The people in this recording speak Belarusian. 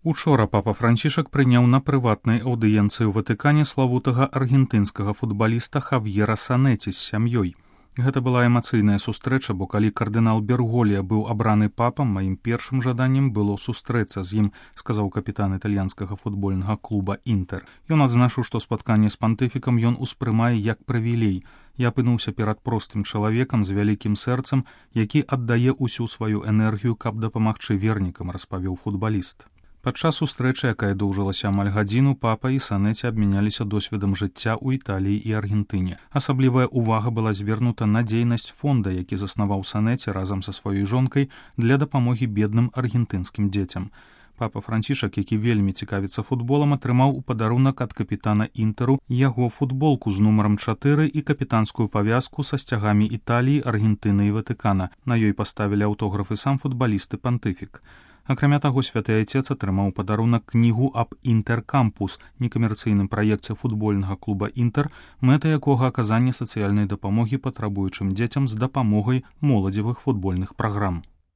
Учора папа Францішак прыняў на прыватнай аўдыенцыі ў Ватыкане славутага аргентынскага футбаліста Хавьера Санеці з сям'ёй. Гэта была эмацыйная сустрэча, бо калі кардынал Берголія быў абраны папам, маім першым жаданнем было сустрэцца з ім, сказаў капітан італьянскага футбольнага клуба «Інтэр». Ён адзначыў, што спатканне з пантыфікам ён успрымае як прывілей. Я апынуўся перад простым чалавекам з вялікім сэрцам, які аддае ўсю сваю энергію, каб дапамагчы вернікам, распавёў футбаліст. Падчас сустрэчы, якая доўжылася амаль гадзіну, папа і Санеці абмяняліся досведам жыцця ў Італіі і Аргентыне. Асаблівая ўвага была звернута на дзейнасць фонда, які заснаваў Санеці разам са сваёй жонкай для дапамогі бедным аргентынскім дзецям. Папа Францішак, які вельмі цікавіцца футболам, атрымаў у падарунак ад капітана «Інтэру» яго футболку з нумарам 4 і капітанскую павязку са сцягамі Італіі, Аргентыны і Ватыкана. На ёй паставілі аўтографы сам футбаліст і пантыфік. Акрамя таго, святы айцец атрымаў падарунак кнігу аб «Інтэр-кампус», некамерцыйным праекце футбольнага клуба «Інтэр», мэта якога аказанне сацыяльнай дапамогі патрабуючым дзецям з дапамогай моладзевых футбольных праграм.